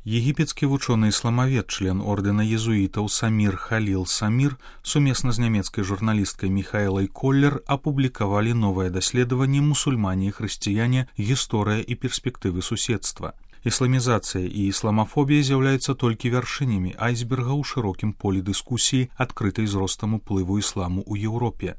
Егіпецкі вучоны-ісламавед, член ордэна езуітаў Самір Халіл Самір, сумесна з нямецкай журналісткай Міхаэлай Коллер апублікавалі новае даследаванне «Мусульмане і хрысціяне. Гісторыя і перспектывы суседства». Ісламізацыя і ісламафобія з'яўляюцца толькі вяршынямі айсберга ў шырокім полі дыскусіі, адкрытай з ростам уплыву ісламу ў Еўропе.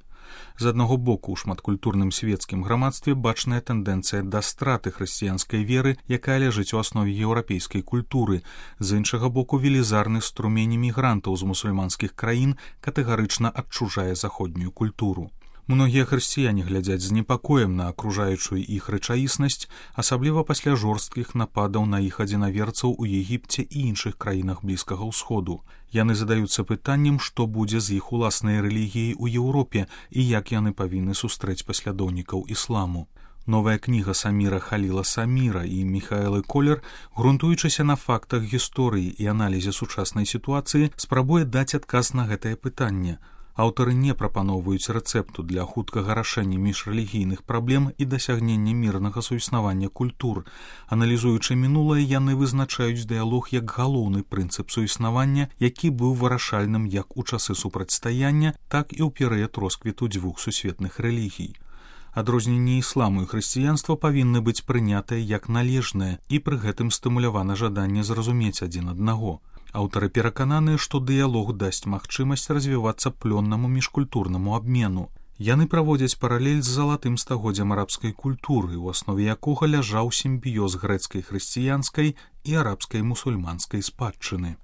З аднаго боку, у шматкультурным свецкім грамадстве бачная тэндэнцыя да страты хрысціянскай веры, якая ляжыць у аснове еўрапейскай культуры. З іншага боку, велізарны струмень мігрантаў з мусульманскіх краін катэгарычна адчужае заходнюю культуру. Многія хрысціяне глядзяць з непакоем на акружаючую іх рэчаіснасць, асабліва пасля жорсткіх нападаў на іх адзінаверцаў у Егіпце і іншых краінах Блізкага ўсходу. Яны задаюцца пытаннем, што будзе з іх уласнай рэлігіяй у Еўропе і як яны павінны сустрэць паслядоўнікаў ісламу. Новая кніга Саміра Халіла Саміра і Міхаэлы Коллер, грунтуючыся на фактах гісторыі і аналізе сучаснай сітуацыі, спрабуе даць адказ на гэтае пытанне. Аўтары не прапаноўваюць рэцэпту для хуткага рашэння міжрэлігійных праблем і дасягнення мірнага суіснавання культур. Аналізуючы мінулае, яны вызначаюць дыялог як галоўны прынцып суіснавання, які быў вырашальным як у часы супрацьстаяння, так і ў перыяд росквіту дзвюх сусветных рэлігій. Адрозненні ісламу і хрысціянства павінны быць прынятыя як належнае, і пры гэтым стымулявана жаданне зразумець адзін аднаго. Аўтары перакананыя, што дыялог дасць магчымасць развівацца плённаму міжкультурнаму абмену. Яны праводзяць паралель з залатым стагоддзям арабскай культуры, у аснове якога ляжаў сімбіёз грэцкай хрысціянскай і арабскай мусульманскай спадчыны.